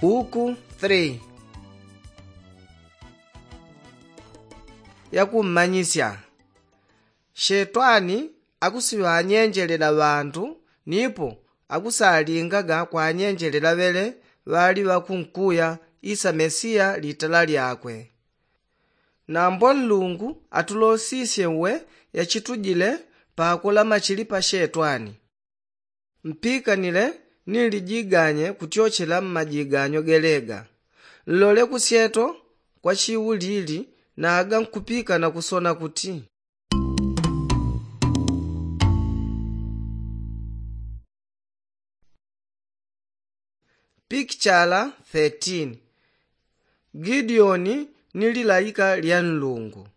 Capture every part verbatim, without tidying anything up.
Buku three. Yakummanyisya. Shetwani akusiŵanyenjelela ŵandu nipo akusalingaga kwanyenjelela ŵele ŵali ŵakunkuya isa mesiya litala lyakwe. Nambo nlungu atulosisye uwe yachitujile pakola machili pa shetwani. Mpikanile ni lijiganye kutyochela mmajiganyo gelega. Nlole kusyeto kwa chiulili naga nkupikana kusona kuti. Pikichala thirteen. Gideoni ni lilaika lya nlungu.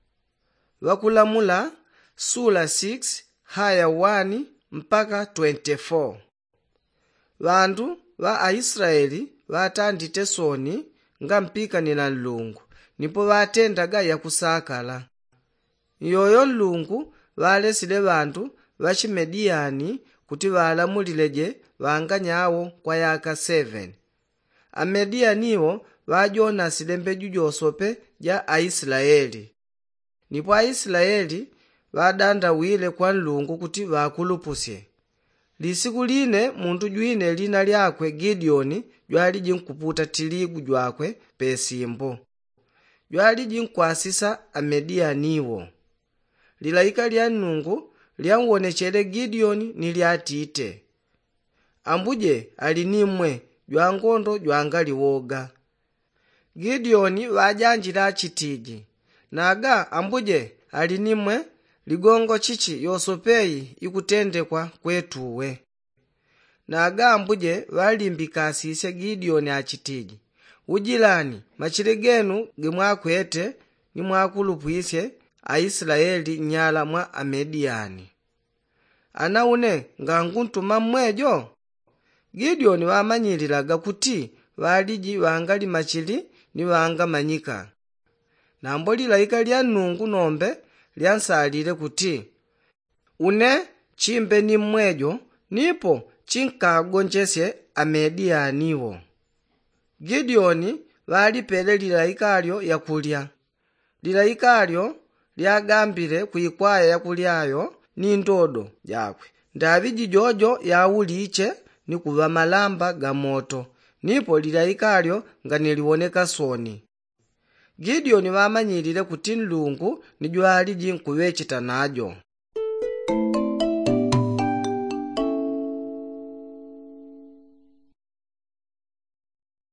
Ŵakulamula sula six haya one mpaka twenty-four. Ŵandu ŵa aislaeli ŵatandite soni ngampikanila nlungu nipo ŵatendaga yakusakala. Iyoyo nlungu ŵalesile ŵandu ŵachimediyani kuti ŵalamulileje ŵanganyawo kwa yaka seven. Amediyani iwo ŵajonasile mbeju josope ja aislaeli. Nipo aislaeli ŵadandawile kwa nlungu kuti ŵakulupusye. Lisiku line mundu jwine lina lyakwe gideoni jwaliji nkuputa tiligu jwakwe pesimbo. Jwaliji nkwasisa amediyani iwo. Lilaika lya nlungu lyanwonechele gideoni ni lyatite. Ambuje ali ni mmwe jwangondo jwangali woga. Gideoni ŵajanjile achitiji, naga ambuje ali ni mmwe, ligongo chichi yosope iyi ikutendekwa kwetu uwe? Naga ambuje ŵalimbikasisye gideoni achitiji, ujilani machili genu gimwakwete ni mwakulupwisye aislaeli nnyala mwa amediyani. Ana une nganguntuma mmwejo? Gideoni ŵamanyililaga kuti ŵaliji ŵangali machili ni ŵangamanyika. Nambo lilaika lya nlungu nombe lyansalile kuti, une chimbe ni mmwejo nipo chinkagonjesye amediyani iwo. Gideoni ŵalipele lilaika lyo yakulya. Lilaika lyo lyagambile kwikwaya yakulya yo ni ndodo jakwe, ndaŵi jijojo yauliche ni kuŵa malamba ga moto. Nipo lilaika lyo nganiliwoneka soni. Gideoni ŵamanyilile kuti nlungu ni jwaliji nkuŵecheta najo.